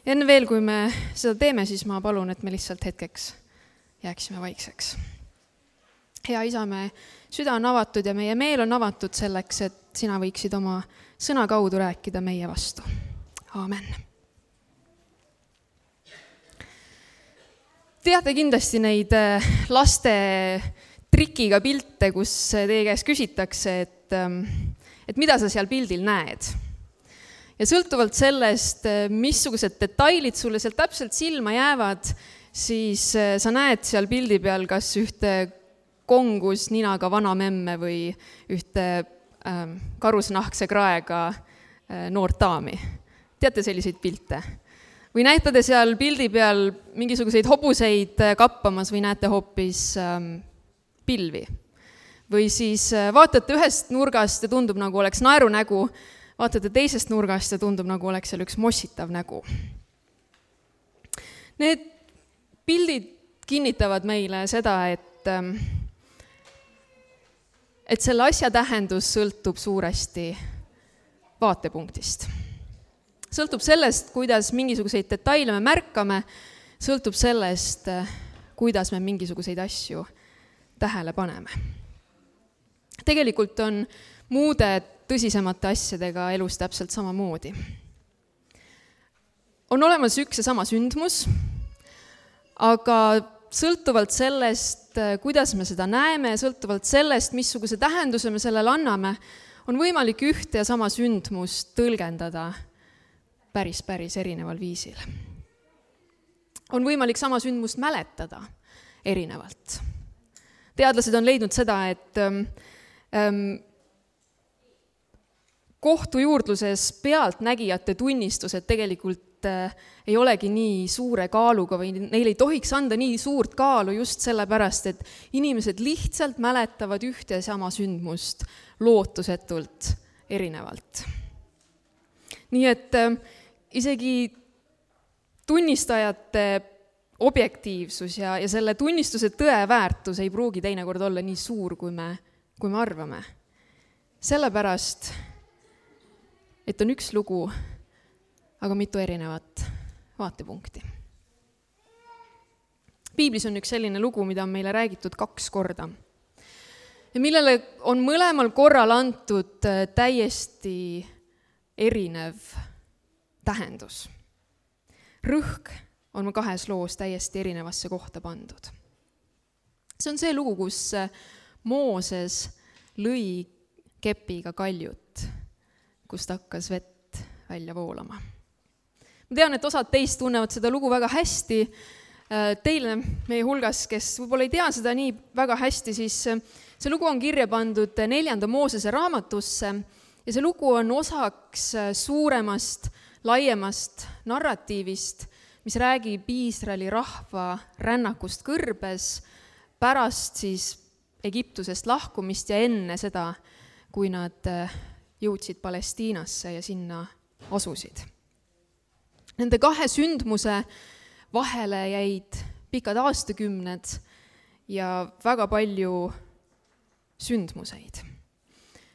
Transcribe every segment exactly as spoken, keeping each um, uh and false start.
Enne veel, kui me seda teeme, siis ma palun, et me lihtsalt hetkeks jääksime vaikseks. Hea Isa, me süda on avatud ja meie meel on avatud selleks, et sina võiksid oma sõna kaudu rääkida meie vastu. Aamen. Teate kindlasti neid laste trikiga pilte, kus teie käest küsitakse, et, et mida sa seal pildil näed. Ja sõltuvalt sellest, missugused detailid sulle seal täpselt silma jäävad, siis sa näed seal pildi peal kas ühte kongus ninaga vana memme või ühte ähm, karusnahkse kraega äh, noort daami. Teate selliseid pilte? Või näete te seal pildi peal mingisuguseid hobuseid kappamas või näete hoopis ähm, pilvi? Või siis vaatate ühest nurgast ja tundub nagu oleks naerunägu, vaatate teisest nurgast ja tundub nagu oleks seal üks mossitav nägu. Need pildid kinnitavad meile seda, et, et selle asja tähendus sõltub suuresti vaatepunktist. Sõltub sellest, kuidas mingisuguseid detaile me märkame, sõltub sellest, kuidas me mingisuguseid asju tähele paneme. Tegelikult on muude tõsisemate asjadega elus täpselt samamoodi. On olemas üks ja sama sündmus, aga sõltuvalt sellest, kuidas me seda näeme, sõltuvalt sellest, missuguse tähenduse me sellele anname, on võimalik ühte ja sama sündmust tõlgendada päris, päris erineval viisil. On võimalik sama sündmust mäletada erinevalt. Teadlased on leidnud seda, et ähm, kohtujuurdluses pealtnägijate tunnistused tegelikult äh, ei olegi nii suure kaaluga või neil ei tohiks anda nii suurt kaalu just sellepärast, et inimesed lihtsalt mäletavad ühte ja sama sündmust lootusetult erinevalt. Nii et äh, isegi tunnistajate objektiivsus ja, ja selle tunnistuse tõeväärtus ei pruugi teinekord olla nii suur, kui me, kui me arvame. Sellepärast et on üks lugu, aga mitu erinevat vaatepunkti. Piiblis on üks selline lugu, mida on meile räägitud kaks korda. Ja millele on mõlemal korral antud täiesti erinev tähendus. Rõhk on kahes loos täiesti erinevasse kohta pandud. See on see lugu, kus Mooses lõi kepiga kaljut, kust hakkas vett välja voolama. Ma tean, et osad teist tunnevad seda lugu väga hästi. Teile meie hulgas, kes võib-olla ei tea seda nii väga hästi, siis see lugu on kirja pandud neljanda Moosese raamatusse ja see lugu on osaks suuremast, laiemast narratiivist, mis räägib Iisraeli rahva rännakust kõrbes pärast siis Egiptusest lahkumist ja enne seda, kui nad jõudsid Palestiinasse ja sinna asusid. Nende kahe sündmuse vahele jäid pikad aastakümned ja väga palju sündmuseid.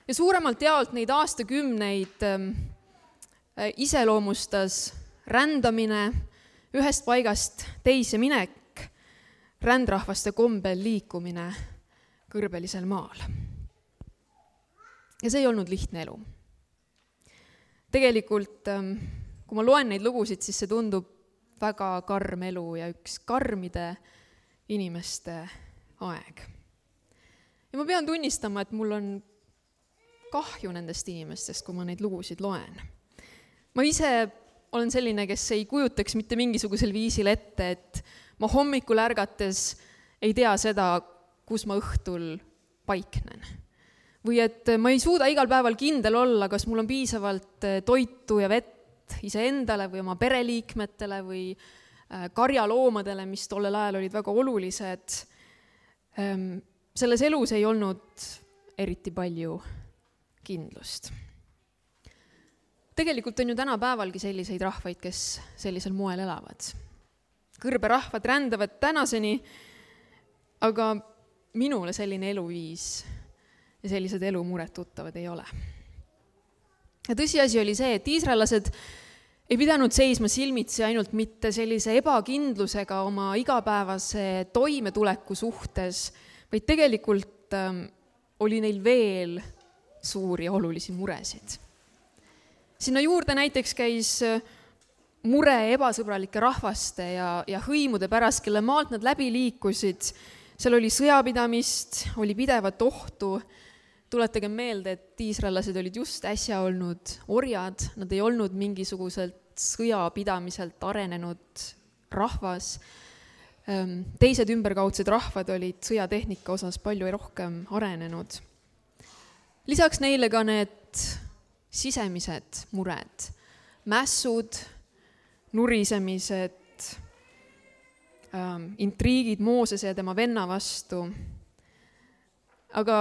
Ja suuremalt jaolt neid aastakümneid iseloomustas rändamine, ühest paigast teise minek, rändrahvaste kombel liikumine kõrbelisel maal. Ja see ei olnud lihtne elu. Tegelikult, kui ma loen neid lugusid, siis see tundub väga karm elu ja üks karmide inimeste aeg. Ja ma pean tunnistama, et mul on kahju nendest inimestest, kui ma neid lugusid loen. Ma ise olen selline, kes ei kujutaks mitte mingisugusel viisil ette, et ma hommikul ärgates ei tea seda, kus ma õhtul paiknen. Või et ma ei suuda igal päeval kindel olla, kas mul on piisavalt toitu ja vett iseendale või oma pereliikmetele või karjaloomadele, mis tollel ajal olid väga olulised. Selles elus ei olnud eriti palju kindlust. Tegelikult on ju tänapäevalgi selliseid rahvaid, kes sellisel moel elavad. Kõrberahvad rändavad tänaseni, aga minule selline eluviis ja sellised elumured tuttavad ei ole. Ja tõsiasi oli see, et iisraellased ei pidanud seisma silmitsi ainult mitte sellise ebakindlusega oma igapäevase toimetuleku suhtes, vaid tegelikult ähm, oli neil veel suuri ja olulisi muresid. Sinna juurde näiteks käis mure ebasõbralike rahvaste ja, ja hõimude pärast, kelle maalt nad läbi liikusid. Seal oli sõjapidamist, oli pidevat ohtu. Tuletage meelde, et iisraellased olid just äsja olnud orjad, nad ei olnud mingisuguselt sõjapidamiselt arenenud rahvas. Teised ümberkaudsed rahvad olid sõjatehnika osas palju rohkem arenenud. Lisaks neile ka need sisemised mured, mässud, nurisemised, ähm, intriigid Moosese ja tema venna vastu. Aga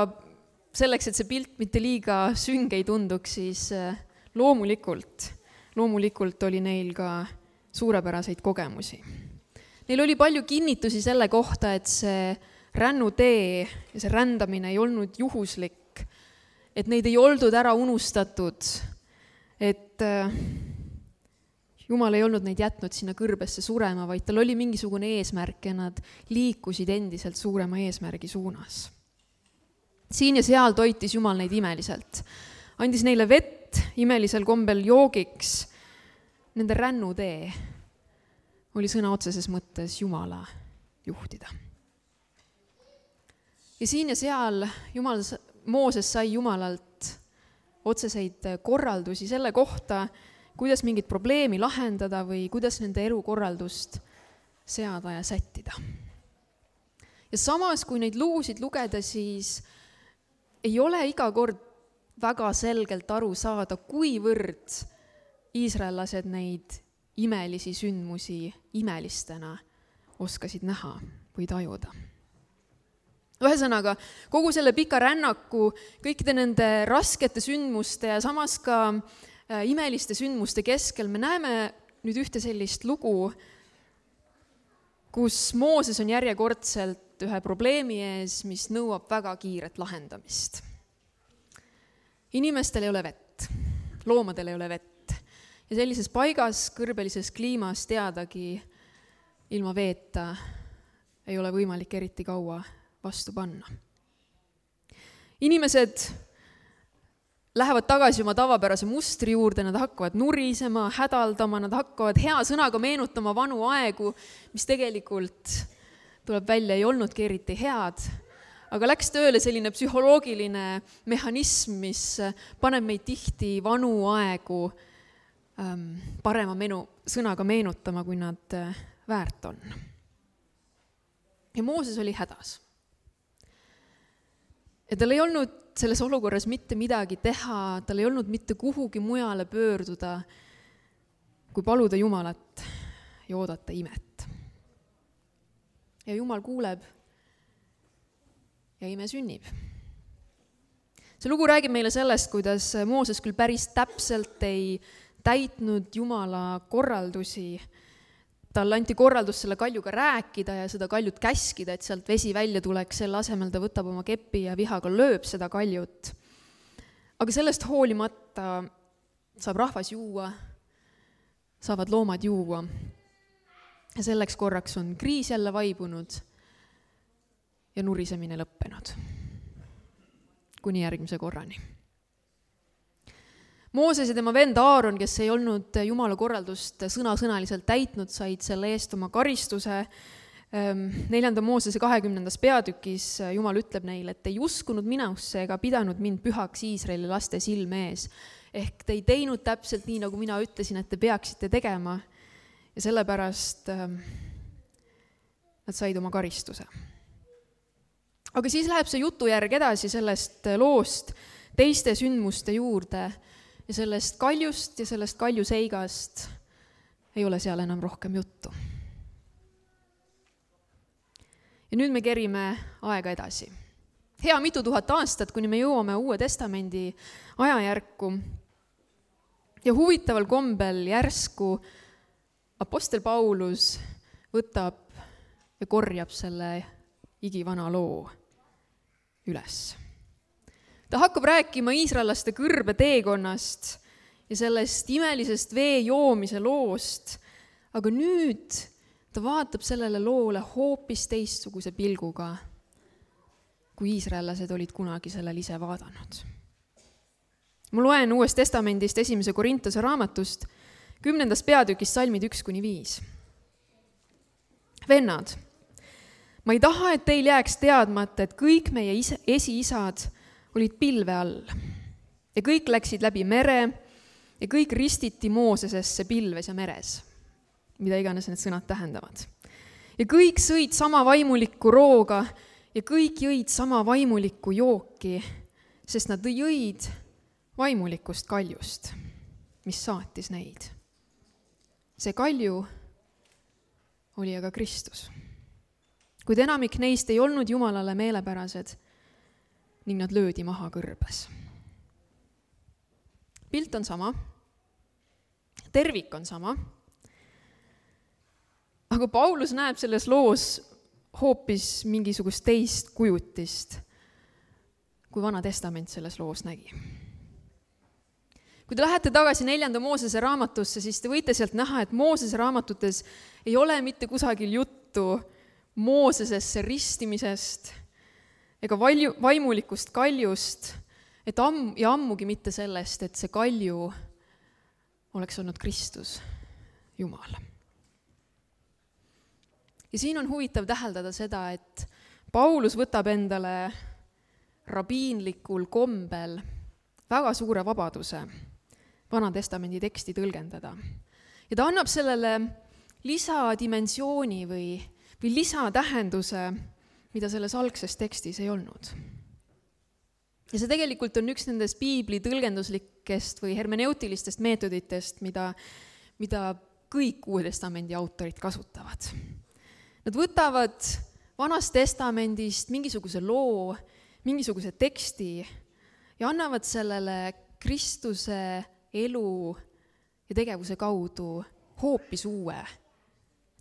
selleks, et see pilt mitte liiga sünge ei tunduks, siis loomulikult, loomulikult oli neil ka suurepäraseid kogemusi. Neil oli palju kinnitusi selle kohta, et see rännutee ja see rändamine ei olnud juhuslik, et neid ei oldud ära unustatud, et Jumal ei olnud neid jätnud sinna kõrbesse surema, vaid tal oli mingisugune eesmärk ja nad liikusid endiselt suurema eesmärgi suunas. Siin ja seal toitis Jumal neid imeliselt. Andis neile vett imelisel kombel joogiks. Nende rännutee oli sõna otseses mõttes Jumala juhtida. Ja siin ja seal Jumal, Mooses sai Jumalalt otseseid korraldusi selle kohta, kuidas mingit probleemi lahendada või kuidas nende elukorraldust seada ja sättida. Ja samas, kui neid luusid lugeda, siis ei ole iga kord väga selgelt aru saada, kuivõrd iisraellased neid imelisi sündmusi imelistena oskasid näha või tajuda. Ühesõnaga, kogu selle pika rännaku, kõikide nende raskete sündmuste ja samas ka imeliste sündmuste keskel me näeme nüüd ühte sellist lugu, kus Mooses on järjekordselt ühe probleemi ees, mis nõuab väga kiiret lahendamist. Inimestel ei ole vett, loomadel ei ole vett ja sellises paigas, kõrbelises kliimas teadagi ilma veeta ei ole võimalik eriti kaua vastu panna. Inimesed lähevad tagasi oma tavapärase mustri juurde, nad hakkavad nurisema, hädaldama, nad hakkavad hea sõnaga meenutama vanu aegu, mis tegelikult tuleb välja, ei olnudki eriti head, aga läks tööle selline psühholoogiline mehhanism, mis paneb meid tihti vanu aegu ähm, parema menu, sõnaga meenutama, kui nad väärt on. Ja Mooses oli hädas. Ja tal ei olnud selles olukorras mitte midagi teha, tal ei olnud mitte kuhugi mujale pöörduda, kui paluda Jumalat ja oodata imet. Ja Jumal kuuleb ja ime sünnib. See lugu räägib meile sellest, kuidas Mooses küll päris täpselt ei täitnud Jumala korraldusi. Tal anti korraldus selle kaljuga rääkida ja seda kaljut käskida, et sealt vesi välja tuleks, selle asemel ta võtab oma kepi ja vihaga lööb seda kaljut. Aga sellest hoolimata saab rahvas juua, saavad loomad juua. Ja selleks korraks on kriis jälle vaibunud ja nurisemine lõppenud. Kuni järgmise korrani. Mooses ja tema vend Aaron, kes ei olnud Jumala korraldust sõna-sõnaliselt täitnud, said selle eest oma karistuse. Neljanda Moosese kahekümnendas peatükis Jumal ütleb neile, et ei uskunud minusse ega pidanud mind pühaks Iisraeli laste silme ees. Ehk te ei teinud täpselt nii, nagu mina ütlesin, et te peaksite tegema. Ja sellepärast nad said oma karistuse. Aga siis läheb see jutujärg edasi sellest loost teiste sündmuste juurde. Ja sellest kaljust ja sellest kaljuseigast ei ole seal enam rohkem juttu. Ja nüüd me kerime aega edasi. Hea mitu tuhat aastat, kuni me jõuame Uue Testamendi ajajärku. Ja huvitaval kombel järsku apostel Paulus võtab ja korjab selle igivana loo üles. Ta hakkab rääkima iisraellaste kõrbe teekonnast ja sellest imelisest vee joomise loost, aga nüüd ta vaatab sellele loole hoopis teistsuguse pilguga, kui iisraellased olid kunagi sellel ise vaadanud. Ma loen Uuest Testamendist esimese Korintuse raamatust, kümnendast peatükist salmid üks kuni viis. Vennad, ma ei taha, et teil jääks teadmata, et kõik meie ise, esiisad olid pilve all ja kõik läksid läbi mere ja kõik ristiti Moosesesse pilves ja meres, mida iganes need sõnad tähendavad. Ja kõik sõid sama vaimulikku rooga ja kõik jõid sama vaimulikku jooki, sest nad jõid vaimulikust kaljust, mis saatis neid. See kalju oli aga Kristus. Kuid enamik neist ei olnud Jumalale meelepärased ning nad löödi maha kõrbes. Pilt on sama, tervik on sama, aga Paulus näeb selles loos hoopis mingisugust teist kujutist, kui Vana Testament selles loos nägi. Kui te lähete tagasi neljanda Moosese raamatusse, siis te võite sealt näha, et Moosese raamatutes ei ole mitte kusagil juttu Moosesesse ristimisest ega vaimulikust kaljust, et amm, ja ammugi mitte sellest, et see kalju oleks olnud Kristus, Jumal. Ja siin on huvitav täheldada seda, et Paulus võtab endale rabiinlikul kombel väga suure vabaduse Vana Testamendi teksti tõlgendada. Ja ta annab sellele lisadimensiooni või, või lisatähenduse, mida selles algses tekstis ei olnud. Ja see tegelikult on üks nendest piibli tõlgenduslikest või hermeneutilistest meetoditest, mida, mida kõik Uue Testamendi autorid kasutavad. Nad võtavad Vanast Testamendist mingisuguse loo, mingisuguse teksti ja annavad sellele Kristuse elu ja tegevuse kaudu hoopis uue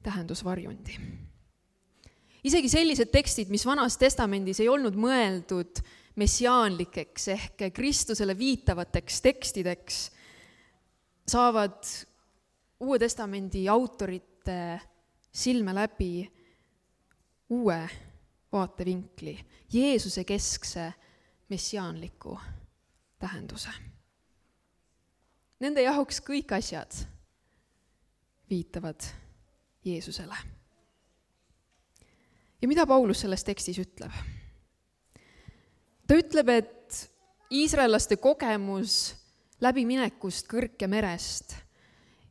tähendusvarjundi. Isegi sellised tekstid, mis Vanas Testamendis ei olnud mõeldud messiaanlikeks ehk Kristusele viitavateks tekstideks, saavad Uue Testamendi autorite silme läbi uue vaatevinkli, Jeesuse keskse messiaanliku tähenduse. Nende jaoks kõik asjad viitavad Jeesusele. Ja mida Paulus selles tekstis ütleb? Ta ütleb, et iisraellaste kogemus läbiminekust kõrke merest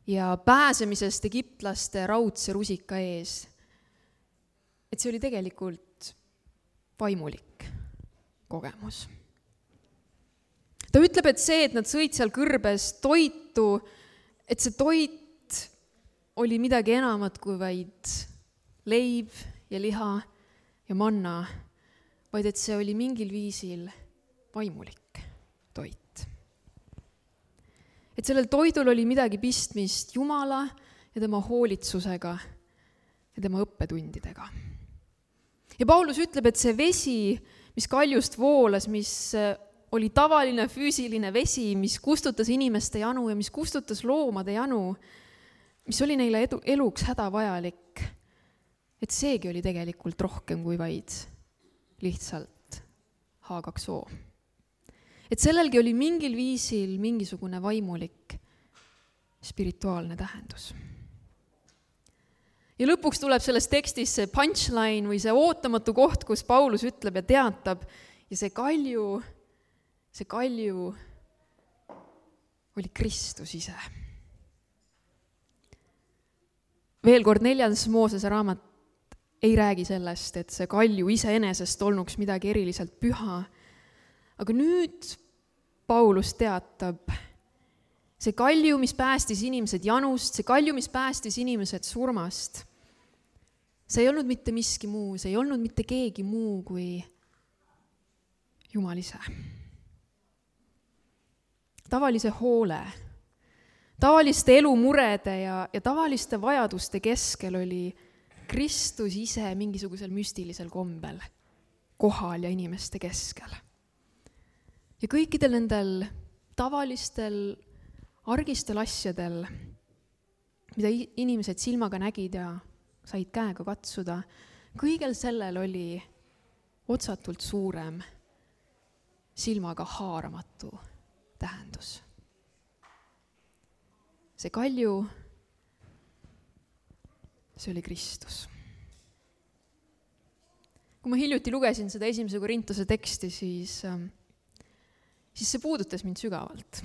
ja pääsemisest egiptlaste raudse rusika ees, et see oli tegelikult vaimulik kogemus. Ta ütleb, et see, et nad sõid seal kõrbes toitu, et see toit oli midagi enamat kui vaid leib ja liha ja manna, vaid et see oli mingil viisil vaimulik toit. Et sellel toidul oli midagi pistmist Jumala ja tema hoolitsusega ja tema õppetundidega. Ja Paulus ütleb, et see vesi, mis kaljust voolas, mis oli tavaline füüsiline vesi, mis kustutas inimeste janu ja mis kustutas loomade janu, mis oli neile edu, eluks hädavajalik, et seegi oli tegelikult rohkem kui vaid lihtsalt H kaks O. Et sellelgi oli mingil viisil mingisugune vaimulik spirituaalne tähendus. Ja lõpuks tuleb selles tekstis see punchline või see ootamatu koht, kus Paulus ütleb ja teatab ja see kalju, see kalju oli Kristus ise. Veel kord neljandas Moosese raamat ei räägi sellest, et see kalju iseenesest olnuks midagi eriliselt püha, aga nüüd Paulus teatab, see kalju, mis päästis inimesed janust, see kalju, mis päästis inimesed surmast, see ei olnud mitte miski muu, see ei olnud mitte keegi muu kui Jumal ise. Tavalise hoole, tavaliste elumurede ja, ja tavaliste vajaduste keskel oli Kristus ise mingisugusel müstilisel kombel kohal ja inimeste keskel. Ja kõikidel nendel tavalistel argistel asjadel, mida inimesed silmaga nägid ja said käega katsuda, kõigel sellel oli otsatult suurem, silmaga haaramatu tähendus. See kalju, see oli Kristus. Kui ma hiljuti lugesin seda esimese Korintuse teksti, siis, siis see puudutas mind sügavalt.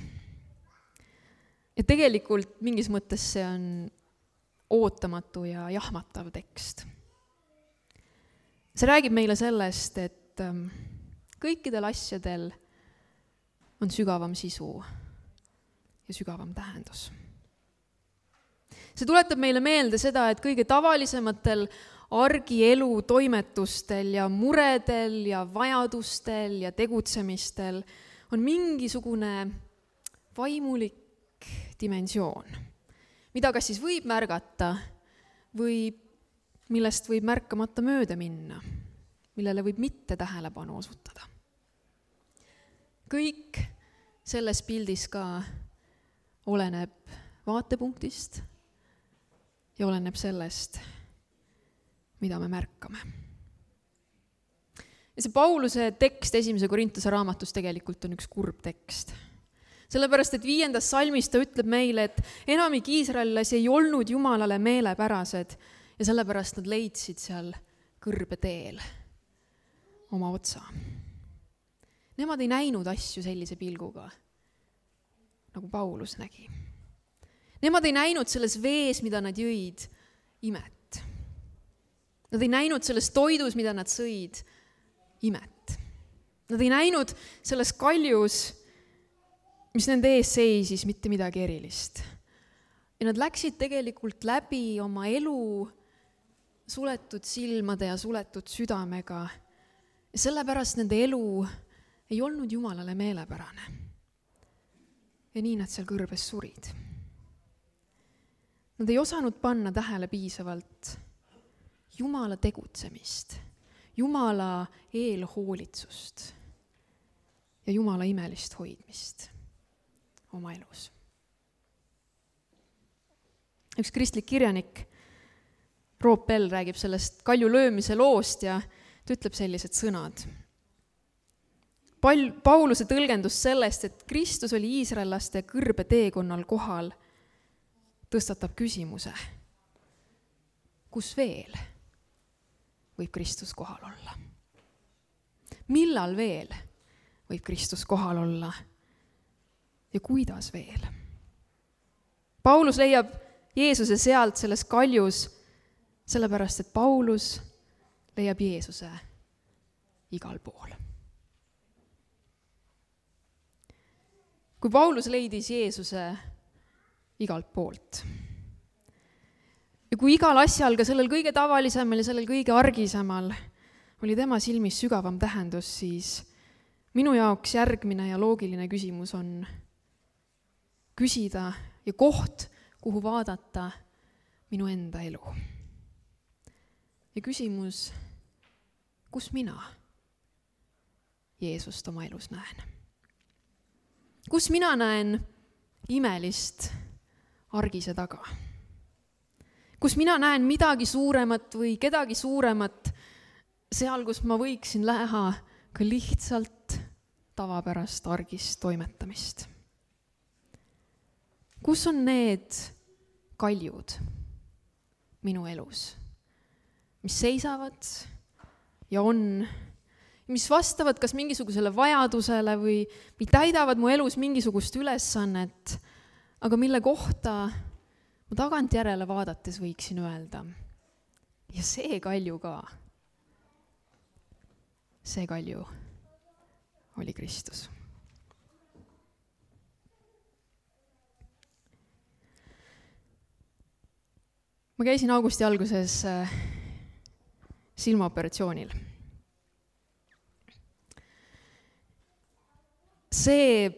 Ja tegelikult mingis mõttes see on ootamatu ja jahmatav tekst. See räägib meile sellest, et kõikidel asjadel on sügavam sisu ja sügavam tähendus. See tuletab meile meelde seda, et kõige tavalisematel argielu toimetustel ja muredel ja vajadustel ja tegutsemistel on mingisugune vaimulik dimensioon, mida kas siis võib märgata või millest võib märkamata mööda minna, millele võib mitte tähelepanu osutada. Kõik selles pildis ka oleneb vaatepunktist ja oleneb sellest, mida me märkame. Ja see Pauluse tekst esimese Korintuse raamatus tegelikult on üks kurb tekst. Sellepärast, et viiendas salmis ta ütleb meile, et enamik iisraellasi ei olnud Jumalale meelepärased ja sellepärast nad leidsid seal kõrbeteel oma otsa. Nemad ei näinud asju sellise pilguga, nagu Paulus nägi. Nemad ei näinud selles vees, mida nad jõid, imet. Nad ei näinud selles toidus, mida nad sõid, imet. Nad ei näinud selles kaljus, mis nende ees seisis, mitte midagi erilist. Ja nad läksid tegelikult läbi oma elu suletud silmade ja suletud südamega. Ja sellepärast nende elu ei olnud Jumalale meelepärane. Ja nii nad seal kõrbes surid. Nad ei osanud panna tähele piisavalt Jumala tegutsemist, Jumala eelhoolitsust ja Jumala imelist hoidmist oma elus. Üks kristlik kirjanik, Roop Bell, räägib sellest kalju löömise loost ja ta ütleb sellised sõnad. Pauluse tõlgendus sellest, et Kristus oli iisraellaste kõrbe teekonnal kohal, tõstatab küsimuse, kus veel võib Kristus kohal olla? Millal veel võib Kristus kohal olla? Ja kuidas veel? Paulus leiab Jeesuse sealt selles kaljus, sellepärast, et Paulus leiab Jeesuse igal pool. Kui Paulus leidis Jeesuse igalt poolt ja kui igal asjal, ka sellel kõige tavalisemal ja sellel kõige argisemal oli tema silmis sügavam tähendus, siis minu jaoks järgmine ja loogiline küsimus on küsida ja koht, kuhu vaadata minu enda elu. Ja küsimus, kus mina Jeesust oma elus näen? Kus mina näen imelist argise taga? Kus mina näen midagi suuremat või kedagi suuremat seal, kus ma võiksin läha ka lihtsalt tavapärast argist toimetamist? Kus on need kaljud minu elus, mis seisavad ja on, mis vastavad kas mingisugusele vajadusele või, või täidavad mu elus mingisugust ülesannet, aga mille kohta ma tagantjärele vaadates võiksin öelda, ja see kalju ka, see kalju oli Kristus. Ma käisin augusti alguses silmaoperatsioonil. See,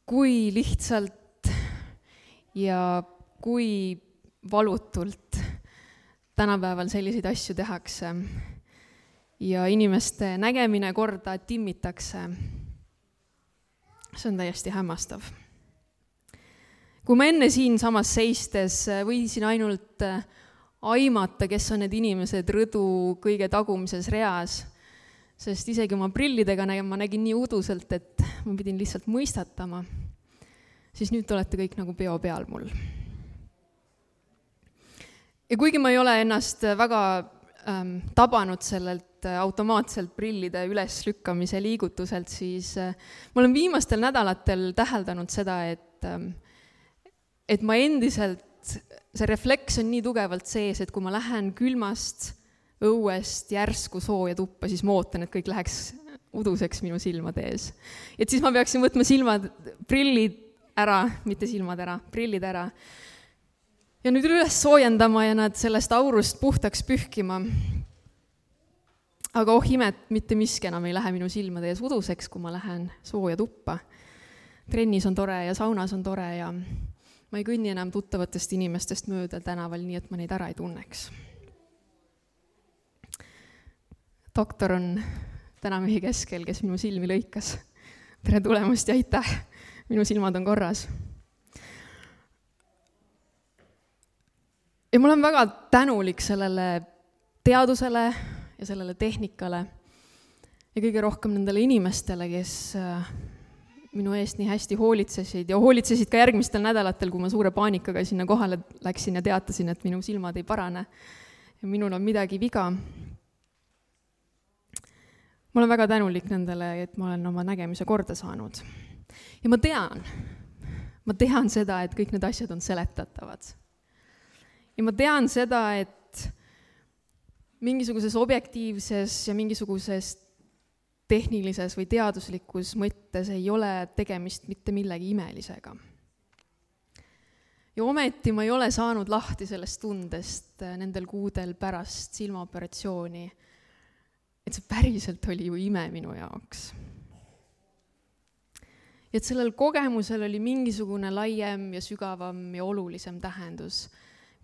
kui lihtsalt ja kui valutult tänapäeval selliseid asju tehakse ja inimeste nägemine korda timmitakse, see on täiesti hämmastav. kui ma enne siinsamas seistes võisin ainult aimata, kes on need inimesed rõdu kõige tagumises reas, sest isegi oma prillidega nägin, ma nägin nii uduselt, et ma pidin lihtsalt mõistatama, siis nüüd te olete kõik nagu peo peal mul. Ja kuigi ma ei ole ennast väga ähm, tabanud sellelt automaatselt prillide üleslükkamise liigutuselt, siis äh, ma olen viimastel nädalatel täheldanud seda, et, ähm, et ma endiselt, see refleks on nii tugevalt sees, et kui ma lähen külmast õuest järsku sooja tuppa, siis ma ootan, et kõik läheks uduseks minu silmade ees. Et siis ma peaksin võtma silmad, prillid ära, mitte silmad ära, prillid ära, ja nüüd üles soojendama ja nad sellest aurust puhtaks pühkima. Aga oh imet, mitte miski enam ei lähe minu silmade ees uduseks, kui ma lähen sooja tuppa. Trennis on tore ja saunas on tore ja ma ei kõnni enam tuttavatest inimestest mööda tänaval, nii et ma neid ära ei tunneks. Doktor on täna mehi keskel, kes minu silmi lõikas. Tere tulemast ja aitäh, minu silmad on korras. Ja ma olen väga tänulik sellele teadusele ja sellele tehnikale ja kõige rohkem nendele inimestele, kes minu eest nii hästi hoolitsesid ja hoolitsesid ka järgmistel nädalatel, kui ma suure paanikaga sinna kohale läksin ja teatasin, et minu silmad ei parane ja minul on midagi viga. Ma olen väga tänulik nendele, et ma olen oma nägemise korda saanud. Ja ma tean, ma tean seda, et kõik need asjad on seletatavad. Ja ma tean seda, et mingisuguses objektiivses ja mingisuguses tehnilises või teaduslikus mõttes ei ole tegemist mitte millegi imelisega. Ja ometi ma ei ole saanud lahti sellest tundest nendel kuudel pärast silmaoperatsiooni, et see päriselt oli ju ime minu jaoks. Ja et sellel kogemusel oli mingisugune laiem ja sügavam ja olulisem tähendus,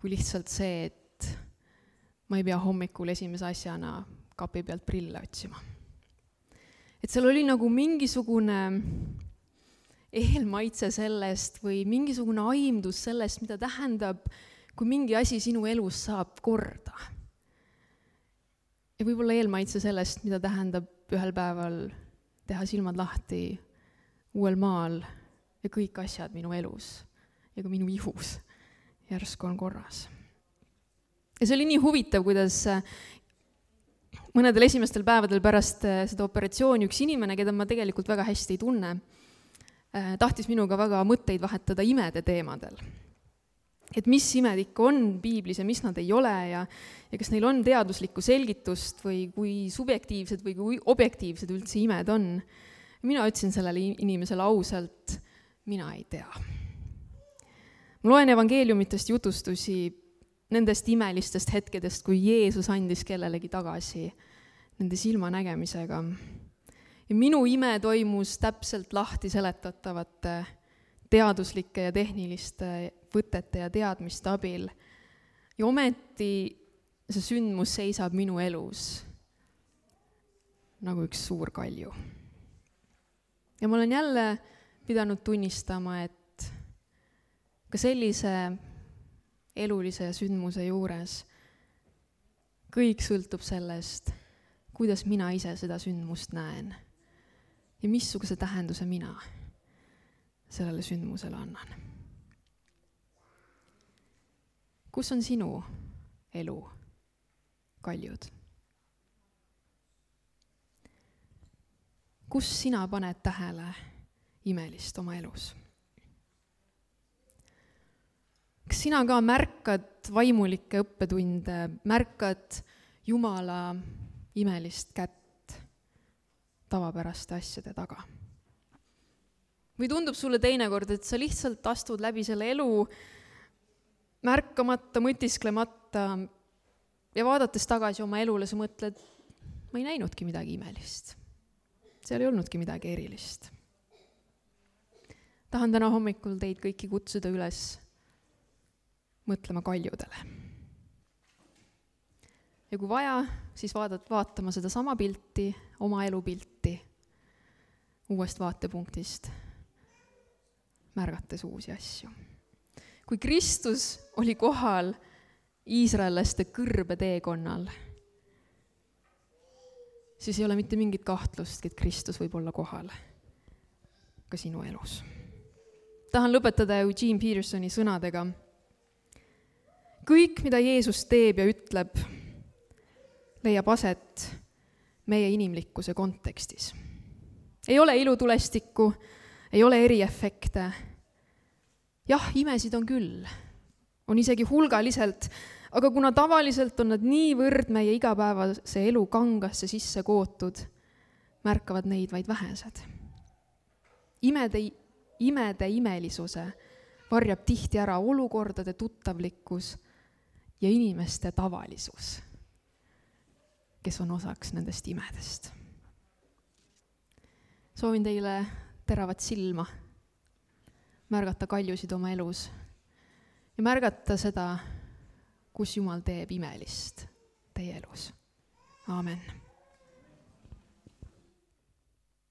kui lihtsalt see, et ma ei pea hommikul esimese asjana kapi pealt prille otsima. Et seal oli nagu mingisugune eelmaitse sellest või mingisugune aimdus sellest, mida tähendab, kui mingi asi sinu elus saab korda. Ja võib-olla eelmaitse sellest, mida tähendab ühel päeval teha silmad lahti uuel maal ja kõik asjad minu elus ja ka minu ihus järsku on korras. Ja see oli nii huvitav, kuidas mõnedel esimestel päevadel pärast seda operatsiooni üks inimene, keda ma tegelikult väga hästi ei tunne, tahtis minuga väga mõtteid vahetada imede teemadel. Et mis imed ikka on piiblis ja mis nad ei ole ja, ja kas neil on teaduslikku selgitust või kui subjektiivsed või kui objektiivsed üldse imed on. Mina ütlesin sellele inimesele ausalt, mina ei tea. Ma loen evangeeliumitest jutustusi nendest imelistest hetkedest, kui Jeesus andis kellelegi tagasi nende silmanägemisega. Ja minu ime toimus täpselt lahti seletatavate teaduslike ja tehniliste võtete ja teadmiste abil. Ja ometi see sündmus seisab minu elus nagu üks suur kalju. Ja ma olen jälle pidanud tunnistama, et ka sellise elulise sündmuse juures kõik sõltub sellest, kuidas mina ise seda sündmust näen ja missuguse tähenduse mina sellele sündmusele annan. Kus on sinu elu kaljud? Kus sina paned tähele imelist oma elus? Kas sina ka märkad vaimulikke õppetunde, märkad Jumala imelist kätt tavapäraste asjade taga? Või tundub sulle teinekord, et sa lihtsalt astud läbi selle elu märkamata, mõtisklemata ja vaadates tagasi oma elule, sa mõtled, ma ei näinudki midagi imelist. Seal ei olnudki midagi erilist. Tahan täna hommikul teid kõiki kutsuda üles mõtlema kaljudele. Ja kui vaja, siis vaadad, vaatama seda sama pilti, oma elupilti uuest vaatepunktist, märgates uusi asju. kui Kristus oli kohal iisraellaste kõrbeteekonnal, siis ei ole mitte mingit kahtlustki, et Kristus võib olla kohal ka sinu elus. Tahan lõpetada Eugene Petersoni sõnadega. Kõik, mida Jeesus teeb ja ütleb, leiab aset meie inimlikkuse kontekstis. Ei ole ilutulestikku, ei ole eriefekte. Jah, imesid on küll, on isegi hulgaliselt, aga kuna tavaliselt on nad niivõrd meie igapäevase elu kangasse sisse kootud, märkavad neid vaid vähesed. Imede, imede imelisuse varjab tihti ära olukordade tuttavlikkus ja inimeste tavalisus, kes on osaks nendest imedest. Soovin teile teravat silma, märgata kaljusid oma elus ja märgata seda, kus Jumal teeb imelist teie elus. Aamen.